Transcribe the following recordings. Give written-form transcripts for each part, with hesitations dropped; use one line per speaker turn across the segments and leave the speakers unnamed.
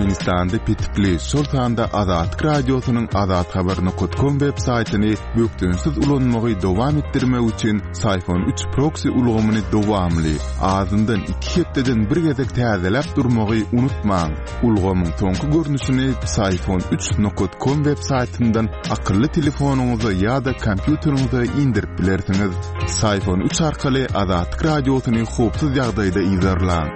Türkmenistanda petikli, şol sanda Azatlyk Radiosynyň azathabar.com web saýtyny bökdençsiz ulanmagy dowam etdirmek üçin Syfon 3 proksi ulgamyny dowamly, azyndan iki hepdeden bir gezek täzeläp durmagy unutmaň. Ulgamyň soňky görnüşini Psiphon 3 nokat com web saýtyndan akylly telefonyňyza ýa-da kompýuteriňize indirip bilersiňiz. Psiphon 3 arkaly Azatlyk Radiosyny howpsuz ýagdaýda yzarlaň.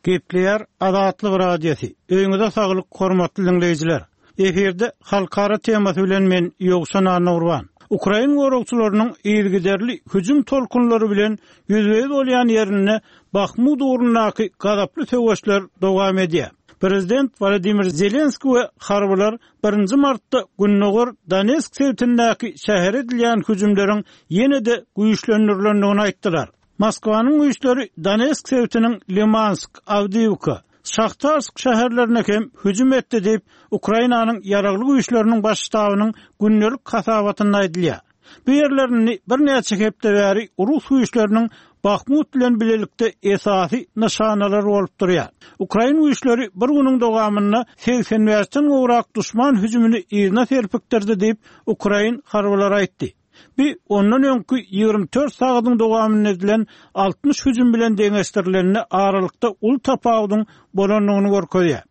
Gepleýär Azatlyk Radiosy. Öýüňize saglyk, hormatly diňleýjiler! Efirde halkara temasy bilen men Ýowşan Annagurban. Ukrain goragçylarynyň yzygiderli hüjüm tolkunlary bilen ýüzbe-ýüz bolýan ýerinde Bahmut ugrundaky gazaply söweşler dowam edýär. Prezident Wolodymyr Zelenskiý we harbylar birinji martda gündogar Donetsk sebitindäki şähere edilýän hüjümleriň ýene-de güýçlendirilendigini aýtdylar. Moskwanyň güýçleri Donetsk sebitiniň Limansk, Awdiýiwka, Şahtarsk şäherlerine hem hüjüm etdi diýip, Ukrainanyň Ýaragly Güýçleriniň Baş ştabynyň gündelik hasabatynda aýdylýar. Bu ýerler indi birnäçe hepde bäri rus güýçleriniň Bahmut bilen bilelikde esasy nyşanalary bolup durýar. Ukrain güýçleri bir günüň dowamynda 85-den gowrak duşman hüjümini yzyna serpikdirdi diýip, ukrain harbylary aýtdy. Bu ondan öňki 24 sagadyň dowamynda edilen 60 hüjüm bilen deňeşdirilende aralykda uly tapawudyň bolandygyny görkezýär.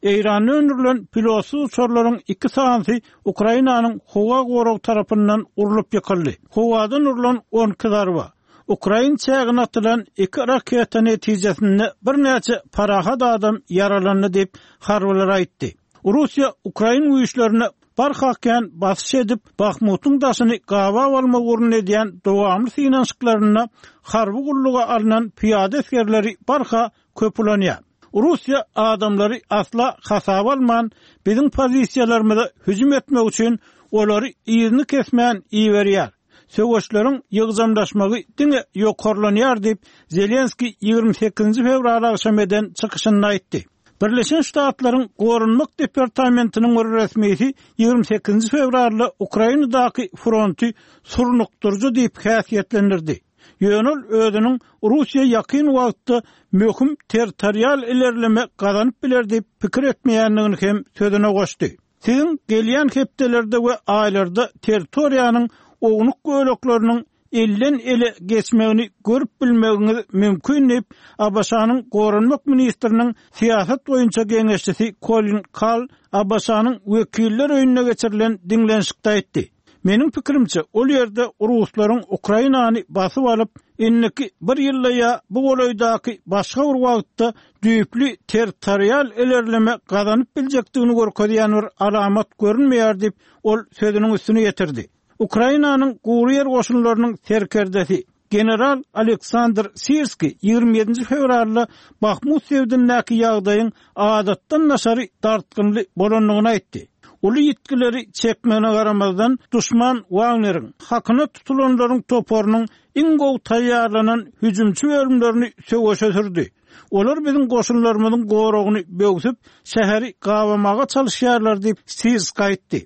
Eýranda öndürilen pilotsyz uçarlaryň iki sanysy Ukrainanyň howa goragy tarapyndan urlup ýykyldy. Howadan urlan 12 zarba, ukrain çägine atylan iki raketa netijesinde birnäçe parahat adam ýaralandy diýip, harbylar aýtdy. Russiýa ukrain güýçlerine barha kän basyş edip, Bahmutyň daşyny gabap almak ugrunda edýän dowamly synanyşyklarynda harby gulluga alnan pyýada esgerleri barha köp ulanýar. Russiýa adamlary asla hasaba alman, biziň pozisiýalarymyza hüjüm etmek üçin olary yzyny kesmän iberýär. Söweşleriň ýygjamlaşmagy diňe ýokarlanýar diýip, Zelenskiý 28 fewral agşam eden çykyşynda aýtdy. Birleşen Ştatlaryň Goranmak departamentiniň bir resmisi 28 fewralda Ukrainadaky fronty surnukdyryjy diýip häsiýetlendirdi. Ýöne ol özüniň Russiýa ýakyn wagtda möhüm territorial ilerleme gazanyp biler diýip pikir etmeýändigini hem sözüne goşdy. Siziň gelýän hepdelerde we aýlarda territoriýanyň ownuk bölekleriniň elden-ele geçmegini görüp bilmegiňiz mümkin diýip, ABŞ-nyň Goranmak ministriniň syýasat boýunça geňeşçisi Kolin Kal ABŞ-nyň Wekiller öýünde geçirilen diňlenişikde aýtdy. Meniň pikirimçe, ol ýerde ruslaryň Ukrainany basyp alyp, indiki bir ýylda ýa bu golaýdaky başga bir wagtda düýpli territorial ilerleme gazanyp biljekdigini görkezýän bir alamat görünmeýär diýip, ol sözüniň üstüni ýetirdi. Ukrainanyň gury ýer goşunlarynyň serkerdesi, general Aleksandr Sirskiý 27-nji fewralda Bahmut sebitindäki ýagdaýyň adatdan daşary dartgynly bolandygyny aýtdy. Uly ýitgileri çekmegine garamazdan, duşman Wagneriň, hakyna tutulanlaryň toparynyň iň gowy taýýarlanan hüjümçi bölümlerini söweşe sürdi. Olar biziň goşunlarymyzyň goragyny böwsüp, şäheri gabamaga çalyşýarlar diýip, Sirskiý aýtdy.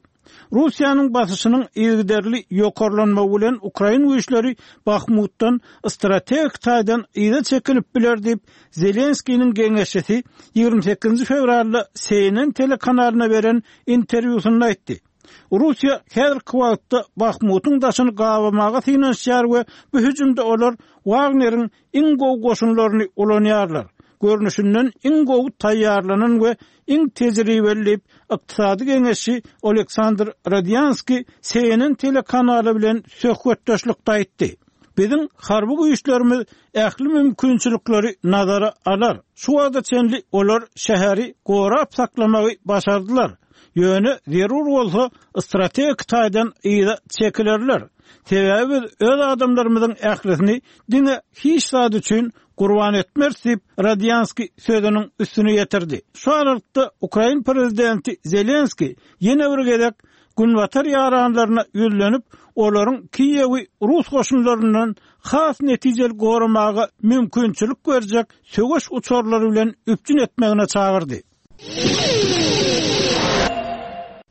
Russiýanyň basyşynyň yzygiderli ýokarlanmagy bilen ukrain güýçleri Bahmutdan strategik taýdan yza çekilip biler diýip, Zelenskiniň geňeşçisi 28 fewralda CNN telekanalyna beren interwýusynda aýtdy. Russiýa häzirki wagtda Bahmutyň daşyny gabamaga synanyşýar we bu hüjümde olar Wagneriň iň gowy goşunlaryny ulanýarlar. Görnüşinden iň gowy taýýarlanan we iň tejribeli diýip, ykdysady geňeşçi Oleksandr Rodýanskiý CNN telekanaly bilen söhbetdeşlikde aýtdy. Biziň harby güýçlerimiz ähli mümkinçilikleri nazara alar. Şu wagta çenli olar şäheri gorap saklamagy başardylar. Ýöne zerur bolsa strategik taýdan yza çekilerler. Sebäbi biz öz adamlarymyzyň ählisini diňe hiç zat üçin gurban etmeris diýip, Rodýanskiý sözüniň üstüni ýetirdi. Şu aralykda ukrain prezidenti Zelenskiý ýene bir gezek günbatar ýaranlaryna ýüzlenip, olaryň Kiýewi rus goşunlaryndan has netijeli goramaga mümkinçilik berjek söweş uçarlary bilen üpjün etmegine çagyrdy.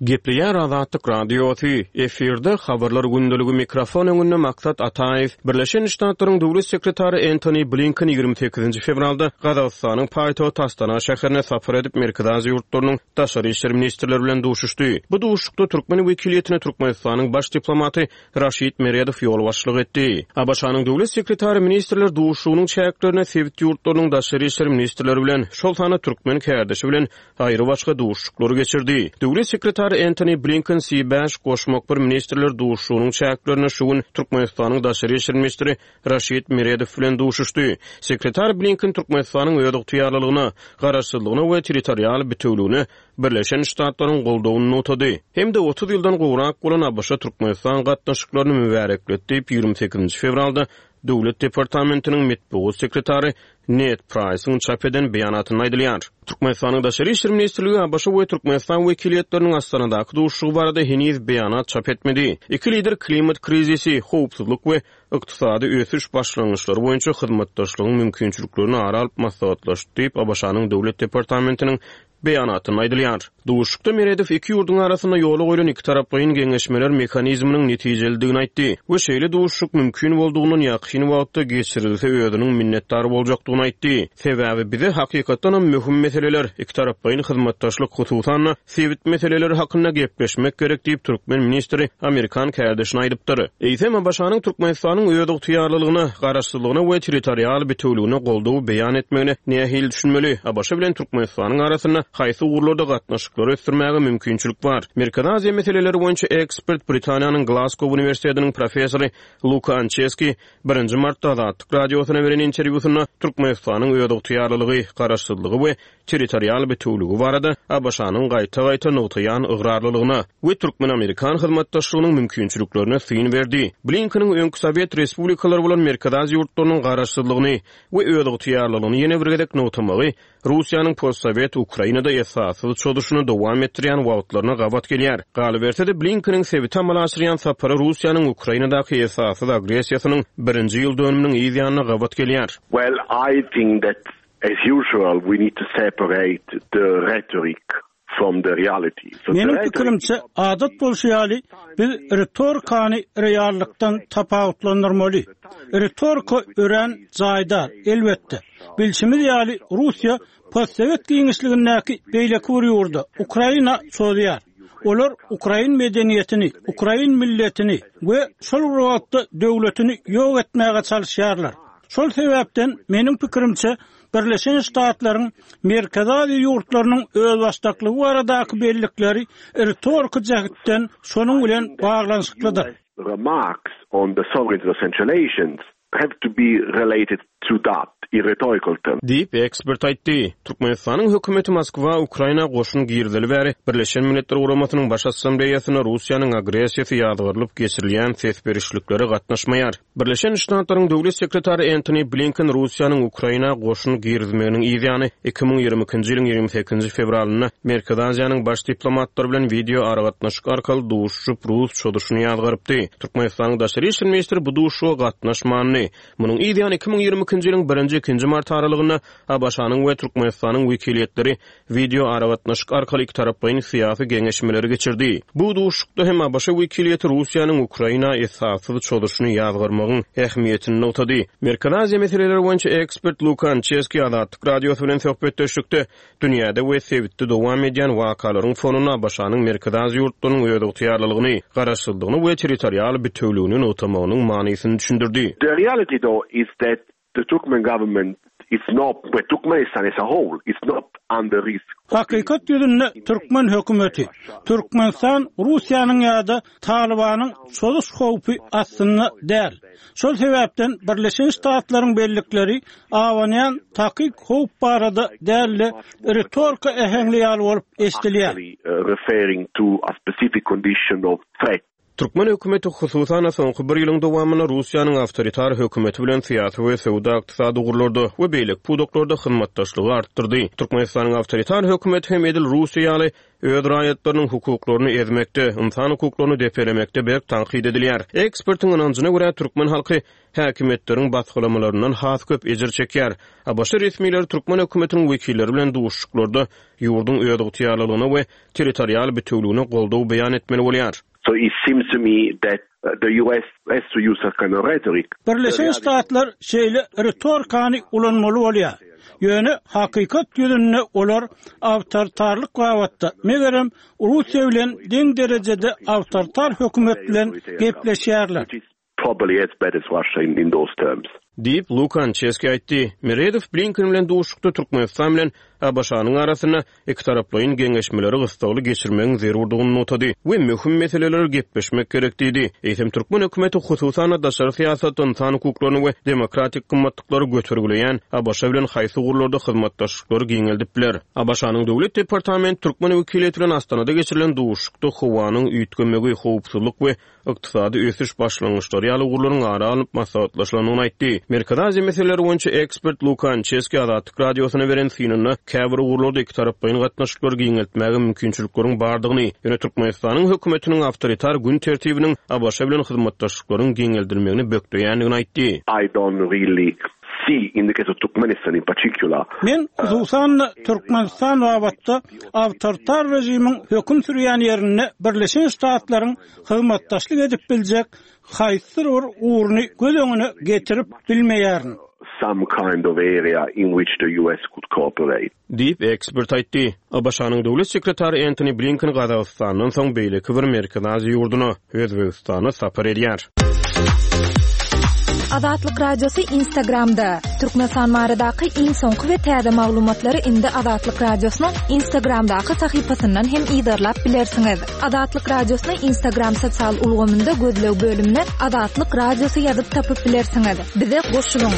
Gepleýär Azatlyk Radiosy, efirde Habarlar gündeligi mikrofon öňünde Maksat Ataýew. Birleşen Ştatlaryň Döwlet sekretary Entoni Blinken 28-nji fewralda Gazagystanyň paýtagty Astana şäherine sapar edip, Merkezi Aziýa ýurtlarynyň daşary işler ministrleri bilen duşuşdy. Bu duşuşykda türkmen wekiliýetine Türkmenistanyň baş diplomaty Raşid Meredow ýolbaşçylyk etdi. ABŞ-nyň Döwlet sekretary ministrler duşuşygynyň çäklerinde sebit ýurtlarynyň daşary işler ministrleri bilen, şol sanda türkmen kärdeşi bilen aýrybaşga duşuşyklary geçirdi. Döwlet sekretary Entoni Blinken C bäş goşmak bir ministrler duşuşygynyň çäklerinde şu gün Türkmenistanyň daşary işler ministri Raşid Meredow bilen duşuşdy. Sekretar Blinken Türkmenistanyň özygtyýarlylygyna, garaşsyzlygyna we territorial bitewüligine Birleşen Ştatlaryň goldawyny nygtady hem-de 30 ýyldan gowrak bolan ABŞ-Türkmenistan gatnaşyklaryny mübärekledi diýip, 28-nji fewralda Döwlet departamentiniň metbugat sekretary Ned Praýsyň çap eden beýanatynda aýdylýar. Türkmenistanyň Daşary işler ministrligi ABŞ we Türkmenistan wekiliýetleriniň Astanadaky duşuşygy barada heniz beýanat çap etmedi. Iki lider klimat krizisi, howpsuzlyk we ykdysady ösüş başlangyçlary boýunça hyzmatdaşlygyň mümkinçiliklerini ara alyp maslahatlaşdy diýip, ABŞ-nyň Döwlet departamentiniň Beýanatynda aýdylýar. Duşuşykda Meredow iki ýurduň arasynda ýola goýlan ikitaraplaýyn geňeşmeler mehanizminiň netijelidigini aýtdy we şeýle duşuşyk mümkin boldugyndan ýakyn wagtda geçirilse özüniň minnetdar boljakdygyny aýtdy. Sebäbi bize hakykatdanam möhüm meseleler, ikitaraplaýyn hyzmatdaşlyk, hususan-da, sebit meseleleri hakynda gepleşmek gerek diýip, türkmen ministri amerikan kärdeşine aýdypdyr. Eýsem, ABŞ-nyň Türkmenistanyň özygtyýarlylygyna, garaşsyzlygyna we territorial bitewüligine goldaw beýan etmegine nähili düşünmeli? ABŞ bilen Türkmenistanyň arasynda haýsy ugurlarda gatnaşyklary ösdürmäge mümkinçilik bar? Merkezi Aziýa meseleleri boýunça ekspert, Britaniýanyň Glasgow uniwersitetiniň professory Luka Ançeski birinji martda Azatlyk Radiosyna beren interwýusynda Türkmenistanyň özygtyýarlylygy, garaşsyzlygy we territorial bitewüligi barada ABŞ-nyň gaýta-gaýta nygtaýan ygrarlylygyna we türkmen-amerikan hyzmatdaşlygynyň mümkinçiliklerine syn berdi. Blinkeniň öňki sowet respublikalary bolan Merkezi Aziýa ýurtlarynyň garaşsyzlygyny we özygtyýarlylygyny ýene bir gezek nygtamagy Russiýanyň postsowet Ukrainada esassyz çozuşyny dowam etdirýän wagtlaryna gabat gelýär. Galyberse-de, Blinkeniň sebite amala aşyrýan sapary Russiýanyň Ukrainadaky esassyz agressiýasynyň birinji ýyl dönüminiň yz ýanyna gabat gelýär.
Well, I think that As usual, we need to separate the rhetoric from the reality. So
Meniň pikirimçe, adat bolşy ýaly, biz ritorikany reallykdan tapawutlandyrmaly. Ritorika örän jaýdar, elbetde. Bilşimiz ýaly, Russiýa postsowet giňişligindäki beýleki bir ýurda, Ukraina çozýar. Olar ukrain medeniýetini, ukrain milletini we şol bir wagtda döwletini ýok etmäge çalyşýarlar. Şol sebäpden, meniň pikirimçe, Birleşen Ştatlaryň Merkezi Aziýa ýurtlarynyň özbaşdaklygy baradaky bellikleri ritoriki jähtden şonuň bilen baglanyşyklydyr.
Remarks on the sovereignty of Central Asians have to be related to that in rhetorical terms.
Diýip, ekspert aýtdy. Türkmenistanyň hökümeti Moskwa Ukraina goşun girizeli bäri Birleşen Milletler Guramasynyň Baş Assambleýasynda Russiýanyň agressiýasy ýazgarylyp geçirilýän ses berişliklere gatnaşmaýar. Birleşen Ştatlaryň Döwlet sekretary Entoni Blinken Russiýanyň Ukraina goşun girizmeginiň yzýany 2022-nji ýylyň 28-nji fewralynda Merkezi Aziýanyň baş diplomatlary bilen wideo aragatnaşyk arkaly duşuşyp, rus çozuşyny ýazgarypdy. Türkmenistanyň daşary işler ministri bu duşuşyga gatnaşmandy. Munuň yzýany 2022-nji ýylyň birinji-ikinji mart aralygynda ABŞ-nyň we Türkmenistanyň wekiliýetleri wideo aragatnaşyk arkaly ikitaraplaýyn syýasy geňeşmeleri geçirdi. Bu duşuşykda hem ABŞ wekiliýeti Russiýanyň Ukraina esassyz çozuşyny ýazgarmagyň ähmiýetini nygtady. Merkezi Aziýa meseleleri boýunça ekspert Luka Ançeski Azatlyk Radiosy bilen söhbetdeşlikde dünýäde we sebitde dowam edýän wakalaryň fonunda ABŞ-nyň Merkezi Aziýa ýurtlarynyň özygtyýarlylygyny, garaşsyzlygyny we territorial bitewüligini nygtamagynyň manysyny düşündirdi.
The reality though is that The Turkmen government is not, well Turkmenistan as a whole is not under risk.
Hakykat ýüzünde türkmen hökümeti, Türkmenistan Russiýanyň ýa-da Talybanyň çozuş howpy astynda däl. Şol sebäpden Birleşen Ştatlaryň bellikleri abanýan takyk howp barada däl-de, ritorika äheňli ýaly bolup eşidilýär.
Referring to a specific condition of threat.
Türkmen hökümeti, hususan-da, soňky bir ýylyň dowamynda Russiýanyň awtoritar hökümeti bilen syýasy we söwda-ykdysady ugurlarda we beýleki pudaklarda hyzmatdaşlygy artdyrdy. Türkmenistanyň awtoritar hökümeti hem edil Russiýa ýaly öz raýatlarynyň hukuklaryny ezmekde, ynsan hukuklaryny depelemekde berk tankyt edilýär. Ekspertiň ynanjyna görä, türkmen halky häkimiýetleriň basgylamalaryndan has köp ejir çekýär. ABŞ resmileri türkmen hökümetiniň wekilleri bilen duşuşyklarda ýurduň özygtyýarlylygyna we territorial bitewüligine goldaw beýan etmeli bolýar.
So it seems to me that the US has to use a kind of rhetoric.
Birleşen Ştatlar şeýle ritorikany ulanmaly bolýar. Ýöne hakykat ýüzünde olar awtoritarlyk babatda, megerem, Russiýa bilen deň derejede awtoritar hökümet bilen gepleşýärler.
Probably as bad as Russia in in those terms.
Diýip, Luka Ançeski aýtdy. Meredow Blinken bilen duşuşykda Türkmenistan bilen ABŞ-nyň arasynda ikitaraplaýyn geňeşmeleri gyssagly geçirmegiň zerurdygyny nygtady we möhüm meseleleri gepleşmek gerek diýdi. Eýsem, türkmen hökümeti, hususan-da, daşary syýasatda ynsan hukuklaryny we demokratik gymmatlyklary götergileýän ABŞ bilen haýsy ugurlarda hyzmatdaşlyklary giňeldip biler? ABŞ-nyň Döwlet departamenti türkmen wekiliýeti bilen Astanada geçirilen duşuşykda howanyň üýtgemegi, howpsuzlyk we ykdysady ösüş başlangyçlary ýaly ugurlaryň ara alnyp maslahatlaşylandygyny aýtdy. Merkezi Aziýa meseleleri boýunça ekspert Luka Ançeski Azatlyk Radiosyna beren synynda käbir ugurlarda ikitaraplaýyn gatnaşyklary giňeltmäge mümkinçilikleriň bardygyny, ýöne Türkmenistanyň hökümetiniň awtoritar gün tertibiniň ABŞ bilen hyzmatdaşlyklaryň giňeldilmegini bökdeýändigini aýtdy.
I don't really see in the case of Turkmenistan in particular.
Men, hususan-da, Türkmenistan babatda awtoritar režimiň höküm sürýän ýerinde Birleşen Ştatlaryň hyzmatdaşlyk edip biljek haýsydyr bir ugruny göz öňüne getirip bilmeýärin.
Some kind of area in which the US could cooperate.
Diýip, ekspert aýtdy. ABŞ-nyň Döwlet sekretary Entoni Blinken Gazagystandan soň beýleki bir Merkezi Aziýa ýurduna, Özbegistana sapar edýär.
Azatlyk Radiosy Instagramda, Türkmenistan baradaky iň soňky we täze maglumatlary indi Azatlyk Radiosynyň Instagramdaky sahypasyndan hem yzarlap bilersiňiz. Azatlyk Radiosyny Instagram sosial ulgamynda gözleg bölümine Azatlyk Radiosy ýazyp tapyp bilersiňiz. Bize goşulyň!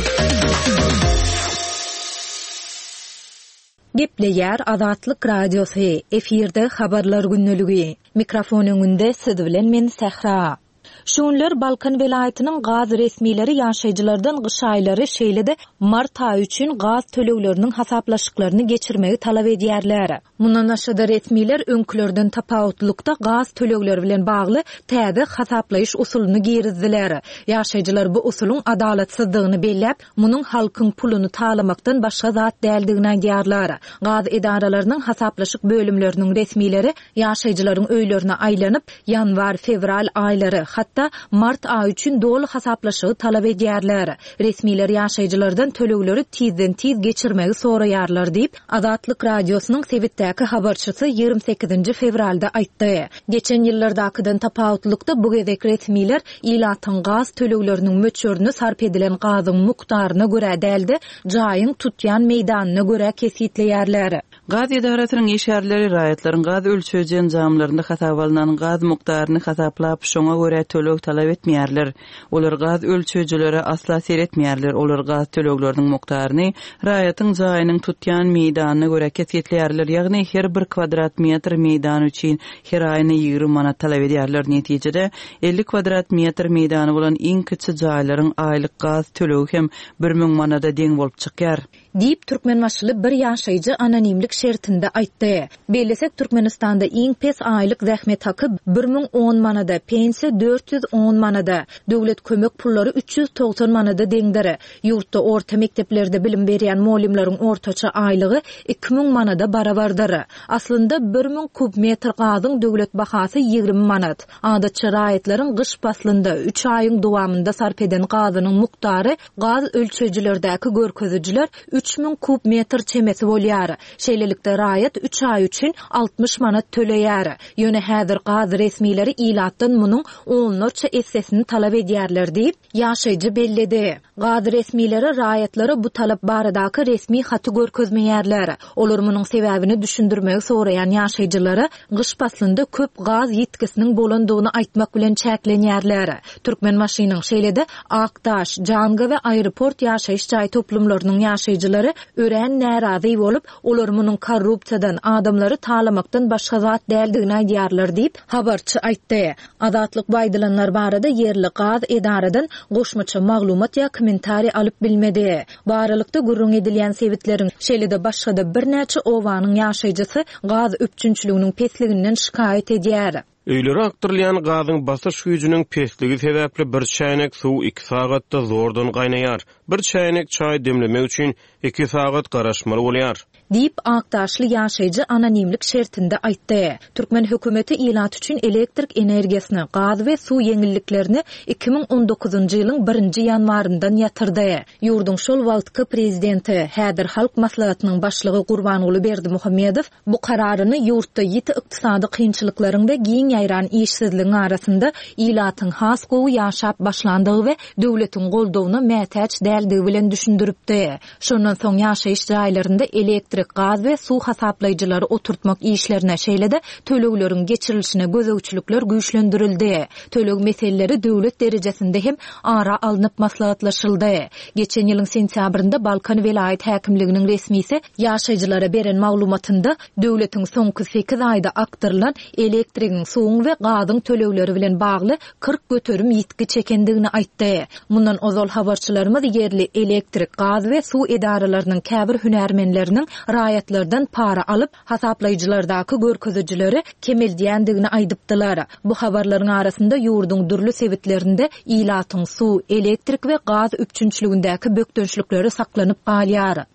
Gepleýär Azatlyk Radiosy, efirde Habarlar gündeligi. Mikrofon öňünde siz bilen men Sähra. Şu günler Balkan welaýatynyň gaz resmileri ýaşaýjylardan gyş aýlary, şeýle-de mart aýy üçin gaz tölegleriniň hasaplaşyklaryny geçirmegi talap edýärler. Mundan başga-da resmiler öňkülerden tapawutlykda gaz tölegleri bilen bagly täze hasaplaýyş usulyny girizdiler. Ýaşaýjylar bu usulyň adalatsyzdygyny belläp, Munuň halkyň puluny talamakdan başga zat däldigini aýdýarlar. Gaz edaralarynyň hasaplaşyk bölümleriniň resmileri ýaşaýjylaryň öýlerine aýlanyp, ýanwar, fewral aýlary, hatda mart aýy üçin doly hasaplaşygy talap edýärler. Resmiler ýaşaýjylardan tölegleri tizden-tiz geçirmegi soraýarlar diýip, Azatlyk Radiosynyň sebitdäki habarçysy 28-nji fewralda aýtdy. Geçen ýyllardakydan tapawutlykda bu gezek resmiler ilatyň gaz tölegleriniň möçberini sarp edilen gazyň mukdaryna görä däl-de, jaýyň tutýan meýdanyna görä kesgitleýärler.
Gaz edarasynyň işgärleri raýatlaryň gaz ölçeýji enjamlarynda hasaba alnan gaz mukdaryny hasaplap, şoňa görä töleg talap etmeýärler. Olar gaz ölçeýjilere asla seretmeýärler, olar gaz tölegleriniň mukdaryny raýatyň jaýynyň tutýan meýdanyna görä kesgitleýärler, ýagny her bir kwadrat metr meýdan üçin her aýyna 20 manat talap edýärler. Netijede, 50 kwadrat metr meýdany bolan iň kiçi jaýlaryň aýlyk gaz tölegi hem 1000 manada deň bolup çykýar.
Diýip, türkmenbaşyly bir ýaşaýjy anonimlik şertinde aýtdy. Bellesek, Türkmenistanda iň pes aýlyk zähmet haky 1010 manada, pensiýa 410 manada, döwlet kömek pullary 390 manada deňdir. Ýurtda orta mekdeplerde bilim berýän mugallymlaryň ortaça aýlygy 2000 manada barabardyr. Aslynda, 1000 kub metr gazyň döwlet bahasy 20 manat. Adatça, raýatlaryň gyş paslynda, üç aýyň dowamynda sarp eden gazynyň mukdary Gaz ölçeýjilerdäki görkezijiler 3000 kub metr çemesi bolýar. Şeýlelikde, raýat üç aý üçin 60 manat töleýär. Ýöne häzir gaz resmileri ilatdan munuň onlarça essesini talap edýärler diýip, ýaşaýjy belledi. Gaz resmileri raýatlara bu talap baradaky resmi haty görkezmeýärler. Olar munuň sebäbini düşündirmegi soraýan ýaşaýjylara gyş paslynda köp gaz ýitgisiniň bolandygyny aýtmak bilen çäklenýärler. Türkmenbaşynyň, şeýle-de Akdaş, Janga we Aeroport ýaşaýyş jaý toplumlarynyň ýaşaýjylary. ýaşaýjylary örän närazy bolup, olar munuň korrupsiýadan, adamlary talamakdan başga zat däldigini aýdýarlar diýip, habarçy aýtdy. Azatlyk bu aýdylanlar barada ýerli gaz edaradan goşmaça maglumat ýa kommentariý alyp bilmedi. Bu aralykda, gürrüň edilýän sebitleriň, şeýle-de başga-da birnäçe obanyň ýaşaýjysy gaz üpjünçiliginiň pesliginden şikaýat edýär.
Öýlere akdyrylýan gazyň basyş güýjüniň pesligi sebäpli bir çäýnek suw iki sagatda zordan gaýnaýar. Bir çäýnek çaý demlemek üçin iki sagat garaşmaly bolýar.
Diýip, akdaşly ýaşaýjy anonimlik şertinde aýtdy. Türkmen hökümeti ilat üçin elektrik energiýasyny, gaz we suw ýeňilliklerini 2019-njy ýylyň birinji ýanwaryndan ýatyrdy. Ýurduň şol wagtky prezidenti, häzir Halk Maslahatynyň başlygy Gurbanguly Berdimuhamedow Bu kararyny ýurtda ýiti ykdysady kynçylyklaryň we giň ýaýran işsizligiň arasynda ilatyň has gowy ýaşap başlandygy we döwletiň goldawyna mätäç däldigi bilen düşündiripdi. Şondan soň ýaşaýyş jaýlarynda elektrik, gaz we suw hasaplaýjylary oturtmak işlerine, şeýle-de tölegleriň geçirilişine gözegçilikler güýçlendirildi. Töleg meseleleri döwlet derejesinde hem ara alnyp maslahatlaşyldy. Geçen ýylyň sentýabrynda Balkan welaýat häkimliginiň resmisi ýaşaýjylara beren maglumatynda, döwletiň soňky sekiz aýda akdyrylan elektrigiň, suwuň we gazyň tölegleri bilen bagly 40% ýitgi çekendigini aýtdy. Mundan ozal habarçylarymyz ýerli elektrik, gaz we suw edaralarynyň käbir hünärmenleriniň raýatlardan para alyp, hasaplaýjylardaky görkezijileri kemeldýändigini aýdypdylar. Bu habarlaryň arasynda ýurduň dürli sebitlerinde ilatyň suw, elektrik we gaz üpjünçiligindäki bökdençlikleri saklanyp galýar.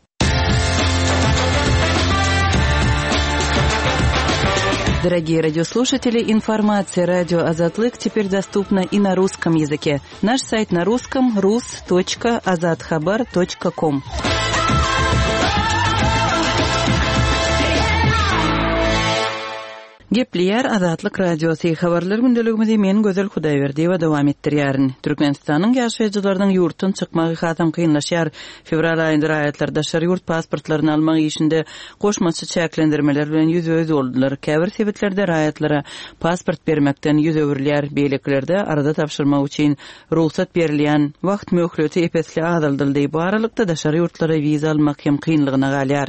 Дорогие радиослушатели, информация радио Азатлык теперь доступна и на русском языке. Наш сайт на русском rus.azathabar.com. Gepleýär Azatlyk Radiosy, Habarlar gündeligimizi men Gözel Hudaýberdiýewa dowam etdirýärin. Türkmenistanyň ýaşaýjylarynyň ýurtdan çykmagy hasam kynlaşýar. Fewral aýynda raýatlar daşary ýurt pasportlaryny almak işinde goşmaça çäklendirmeler bilen ýüzbe-ýüz boldular. Käbir sebitlerde raýatlara pasport bermekden ýüz öwrülýär, beýlekilerde arza tabşyrmak üçin rugsat berilýän wagt möhleti ep-esli azaldyldy. Bu aralykda, daşary ýurtlara wiza almak hem kynlygyna galýar.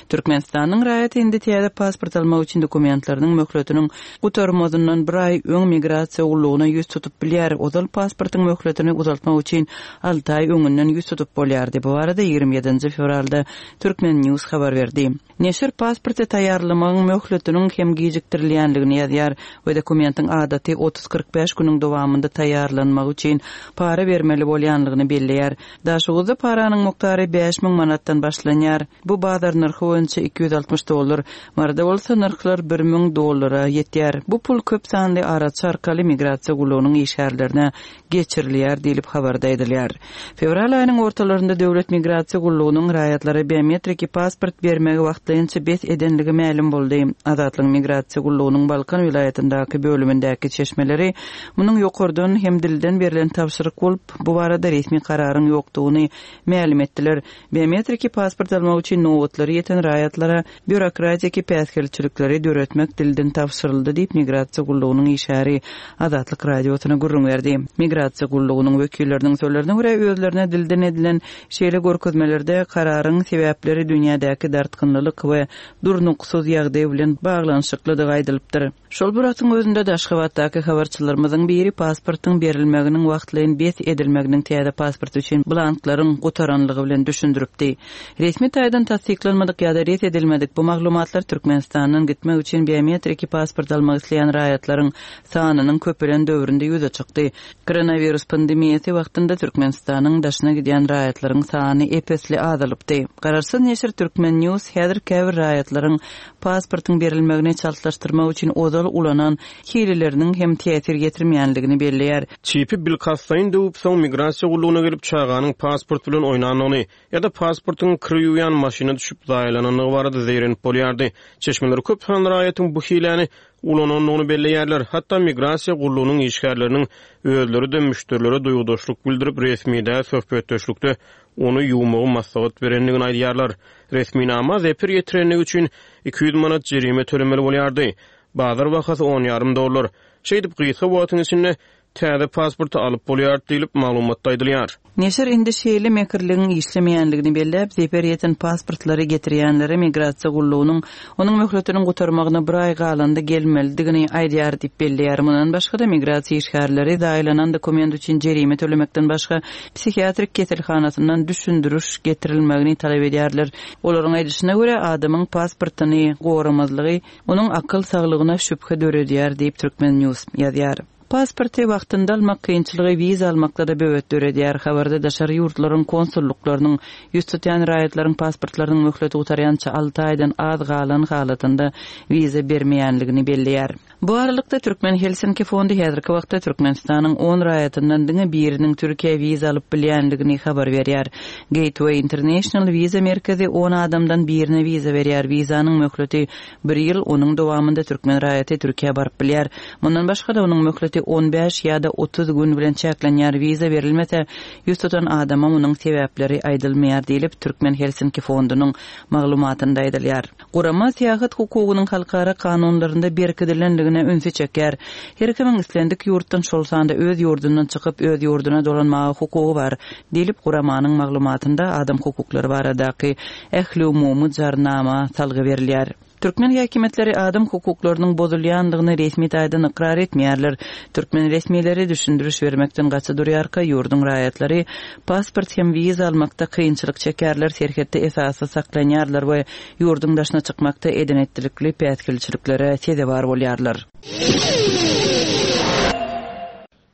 Türkmenistanyň raýaty indi täze pasport almak üçin dokumentleriniň möhletiniň gutarmazyndan bir aý öň migrasiýa gullugyna ýüz tutup bilýär. Ozal pasportyň möhletini uzaltmak üçin alty aý öňünden ýüz tutup bolýardy. Bu barada 27 fewralda Turkmen News habar berdi. Neşir pasporty taýýarlamagyň möhletiniň hem gijikdirilýändigini ýazýar we dokumentiň adaty otuz-kyrk bäş günüň dowamynda taýýarlanmagy üçin para bermeli bolýanlygyny belleýär. Daşoguzda paranyň mukdary 5000 manatdan başlanýar. Bu bazar nyrhy boýunça 260 dollar. Maryda bolsa nyrhlar 1000 dollara ýetýär. Bu pul köp sanly araçy arkaly migrasiýa gullugynyň işgärlerine geçirilýär diýlip, habarda aýdylýar. Fewral aýynyň ortalarynda Döwlet migrasiýa gullugynyň raýatlara biometriki pasport bermegi wagtlaýynça bes edenligi mälim boldy. Azatlygyň migrasiýa gullugynyň Balkan welaýatyndaky bölümindäki çeşmeleri munuň ýokardan hem dilden berlen tabşyryk bolup, bu barada resmi kararyň ýokdugyny mälim etdiler. Biometriki pasport almak üçin nobatlary ýeten raýatlara býurokratiki päsgelçilikleri döretmek dilden tabşyryldy diýip, migrasiýa gullugynyň işgäri Azatlyk Radiosyna gürrüň berdi. Migrasiýa gullugynyň wekilleriniň sözlerine görä, özlerine dilden edilen şeýle görkezmelerde kararyň sebäpleri dünýädäki dartgynlylyk we durnuksyz ýagdaý bilen baglanyşyklydygy aýdylypdyr. Şol bir wagtyň özünde-de, Aşgabatdaky habarçylarymyzyň biri pasportyň berilmeginiň wagtlaýyn bes edilmeginiň täze pasport üçin blanklaryň gutaranlygy bilen düşündiripdi. Resmi taýdan tassyklanmadyk ýa-da ret edilmedik bu maglumatlar Türkmenistandan gitmek üçin biometriki pasport almak isleýän raýatlaryň sanynyň köpelen döwründe ýüze çykdy. Koronawirus pandemiýasy wagtynda Türkmenistanyň daşyna gidýän raýatlaryň sany ep-esli azalypdy. Garaşsyz neşir Turkmen News häzir käbir raýatlaryň pasportyň berilmegini çaltlaşdyrmak üçin ozal ulanan hileleriniň hem täsir ýetirmeýändigini belleýär.
Çipi bilkastlaýyn döwüp, soň migrasiýa gullugyna gelip çaganyň pasport bilen oýnandygyny ýa-da pasportyň kir ýuwýan maşyna düşüp zaýalanandygy barada zeýrenip bolýardy. Çeşmeler köp sanly raýatyň bu hiläni ulanandygyny belleýärler. Hatda migrasiýa gullugynyň işgärleriniň özleri-de müşderilere duýgudaşlyk bildirip, resmi däl söhbetdeşlikde ony ýuwmagy maslahat berendigini aýdýarlar. Resminama zeper ýetirenligi üçin 200 manat jerime tölemeli bolýardy. Bazar bahasy on ýarym dollar. Şeýdip, gysga wagtyň içinde. täze pasporty alyp bolýar diýlip, maglumatda aýdylýar.
Neşir indi şeýle mekirligiň işlemeýänligini belläp, zeper ýeten pasportlary getirýänlere migrasiýa gullugynyň onuň möhletiniň gutarmagyna bir aý galanda gelmelidigini aýdýar diýip belleýär. Mundan başga-da, migrasiýa işgärleri zaýalanan dokument üçin jerime tölemekden başga, psihiatrik keselhanasyndan düşündiriş getirilmegini talap edýärler. Olaryň aýdyşyna görä, adamyň pasportyny goramazlygy onuň akyl saglygyna şübhe döredýär diýip, Turkmen. News ýazýar. Pasporty wagtynda almak kynçylygy wiza almakda-da böwet döredýär. Habarda daşary ýurtlaryň konsullyklarynyň ýüz tutýan raýatlaryň pasportlarynyň möhleti gutarýança alty aýdan az galan halatynda wiza bermeýänligini belleýär. Bu aralykda, Türkmen Helsinki fondy häzirki wagtda Türkmenistanyň on raýatyndan diňe biriniň Türkiýä wiza alyp bilýänligini habar berýär. Gateway International wiza merkezi on adamdan birine wiza berýär. Wizanyň möhleti Bir ýyl, onuň dowamynda türkmen raýaty Türkiýä baryp bilýär. Mundan başga-da, onuň möhleti on bäş ýa-da 30 gün bilen çäklenýär, wiza berilmese, ýüz tutan adama munuň sebäpleri aýdylmaýar diýlip, Türkmen Helsinki fondunyň maglumatynda aýdylýar. Gurama syýahat hukugynyň halkara kanunlarynda berkidilendigine ünsi çekýär. Her kimiň islendik ýurtdan, şol sanda öz ýurdundan çykyp, öz ýurduna dolanmaga hukugy bar, diýlip, guramanyň maglumatynda adam hukuklary baradaky Ähliumumy Jarnama salgy berilýär. Türkmen häkimiýetleri adam hukuklarynyň bozulýandygyny resmi taýdan ykrar etmeýärler. Türkmen resmileri düşündiriş bermekden gaça durýarka, ýurduň raýatlary pasport hem wiza almakda kynçylyk çekýärler, serhetde esassyz saklanýarlar we ýurduň daşyna çykmakda eden-etdilikli päsgelçiliklere sezewar bolýarlar.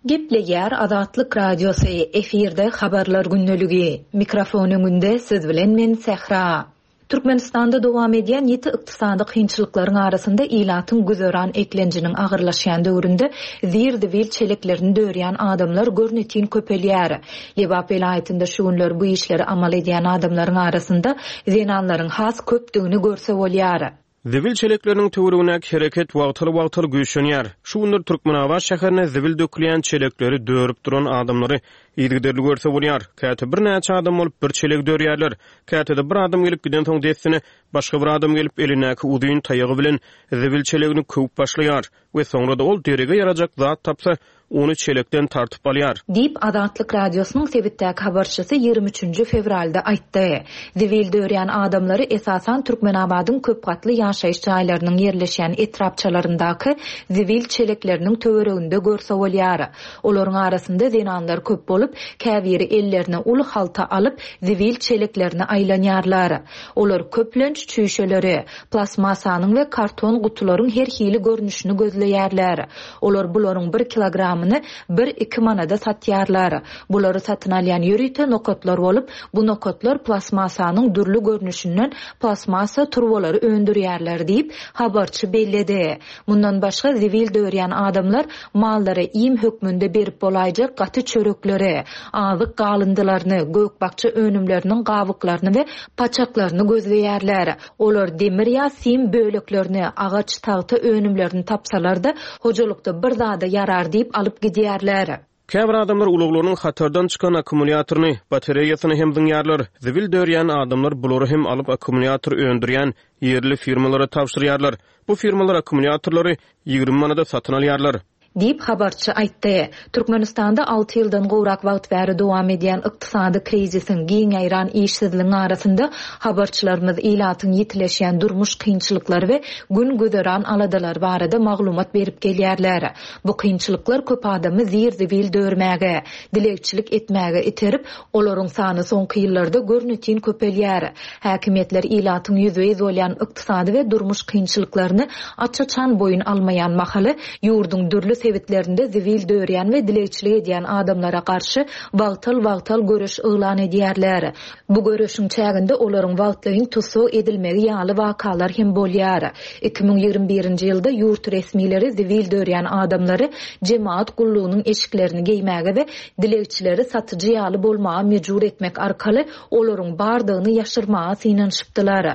Gepleýär Azatlyk Radiosy, efirde Habarlar gündeligi. Mikrofon öňünde siz bilen men Sähra. Türkmenistanda dowam edýän ýiti ykdysady kynçylyklaryň arasynda ilatyň güzeran eklenjiniň agyrlaşýan döwründe zir-zibil çeleklerini dörýän adamlar görnetin köpelýär. Lebap welaýatynda şu günler bu işleri amal edýän adamlaryň arasynda zenanlaryň has köpdügini görse bolýar.
Zibil çelekleriniň töweregindäki hereket wagtal-wagtal güýçlenýär. Şu günler Türkmenabat şäherinde zibil dökülýän çelekleri dörüp duran adamlary yzygiderli görse bolýar. Käte birnäçe adam bolup bir çelegi dörýärler. Käte-de bir adam gelip gidensoň dessine başga bir adam gelip elindäki uzyn taýagy bilen zibil çelegini köwüp başlaýar we soňra-da ol derege ýarajak zat tapsa ony çelekden tartyp alýar.
Diýip, Azatlyk Radiosynyň sebitdäki habarçysy ýigrimi üçünji fewralda aýtdy. Zibil dörýän adamlary esasan Türkmenabadyň köp gatly ýaşaýyş jaýlarynyň ýerleşýän etrapçalaryndaky zibil çelekleriniň töwereginde görse bolýar. Olaryň arasynda zenanlar köp bolup, käbiri ellerine uly halta alyp, zibil çeleklerine aýlanýarlar. Olar köplenç çüýşeleri, plastmassanyň we karton gutularyň her hili görnüşini gözleýärler. Olar bularyň bir kilogramyny bir-iki manada satýarlar. Bulary satyn alýan ýörite nokatlar bolup, bu nokatlar plastmassanyň dürli görnüşinden plastmassa turbalary öndürýärler diýip, habarçy belledi. Mundan başga, zibil dörýän adamlar mallara iým hökmünde berip bolaýjak gaty çörekleri, azyk galyndylaryny, gök-bakja önümleriniň gabyklaryny we paçaklaryny gözleýärler. Olar demir ýa sim böleklerini, agaç, tagta önümlerini tapsalar-da, hojalykda bir zada ýarar diýip alyp gidýärler.
Käbir adamlar ulaglarynyň hatardan çykan akkumulýatoryny, batareýasyny hem zyňýarlar. Zibil dörýän adamlar bulary hem alyp akkumulýator öndürýän ýerli firmalara tabşyrýarlar. Bu firmalar akkumulýatorlary 20 manada satyn alýarlar.
Diýip, habarçy aýtdy. Türkmenistanda alty ýyldan gowrak wagt bäri dowam edýän ykdysady krizisiň, giň ýaýran işsizligiň arasynda habarçylarymyz ilatyň ýitileşýän durmuş kynçylyklary we gün-güzeran aladalary barada maglumat berip gelýärler. Bu kynçylyklar köp adamy zir-zibil dörmäge, dilegçilik etmäge iterip, olaryň sany soňky ýyllarda görnetin köpelýär. Häkimiýetler ilatyň ýüzbe-ýüz bolýan ykdysady we durmuş kynçylyklaryny aç-açan boýun almaýan mahaly, ýurduň dürli sebitlerinde zibil dörýän we dilegçilik edýän adamlara garşy wagtal-wagtal göreş yglan edýärler. Bu göreşiň çäginde olaryň wagtlaýyn tussag edilmegi ýaly wakalar hem bolýar. 2021-nji ýylda ýurt resmileri zibil dörýän adamlary jemagat gullugynyň eşiklerini geýmäge we dilegçileri satyjy ýaly bolmaga mejbur etmek arkaly olaryň bardygyny ýaşyrmaga synanyşypdylar.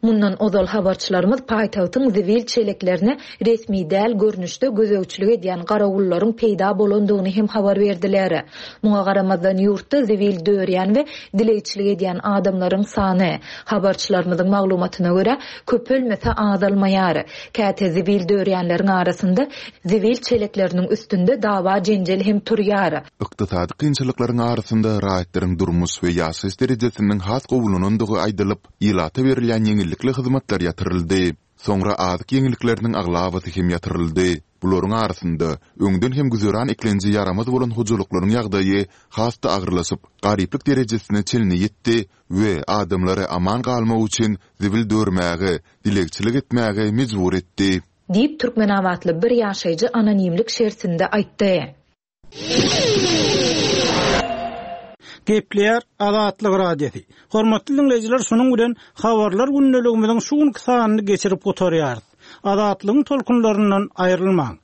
Mundan ozal habarçylarymyz paýtagtyň zibil çeleklerine resmi däl görnüşde gözegçilik edýän garawullaryň peýda bolandygyny hem habar berdiler. Muňa garamazdan, ýurtda zibil dörýän we dilegçilik edýän adamlaryň sany, habarçylarymyzyň maglumatyna görä, köpelmese azalmaýar. Käte zibil dörýänleriň arasynda zibil çelekleriniň üstünde dawa-jenjel hem turýar.
Ykdysady kynçylyklaryň arasynda raýatlaryň durmuş we ýaşaýyş derejesiniň has gowulanandygy aýdylyp, ilata berilýän ýeňillikli hyzmatlar ýatyryldy. Soňra azyk ýeňillikleriniň aglabasy hem ýatyryldy. Bularyň arasynda, öňden hem güzeran eklenji ýaramaz bolan hojalyklaryň ýagdaýy has-da agyrlaşyp, garyplyk derejesine çenli ýetdi we adamlary aman galmak üçin zibil dörmäge, dilegçilik etmäge mejbur etdi.
Diýip, türkmenabatly bir ýaşaýjy anonimlik şertinde aýtdy.
Gepleýär Azatlyk Radiosy. Hormatly diňleýjiler, şunuň bilen Habarlar gündeligimiziň şu günki sanyny geçirip gutarýarys. Azatlygyň tolkunlaryndan aýrylmaň!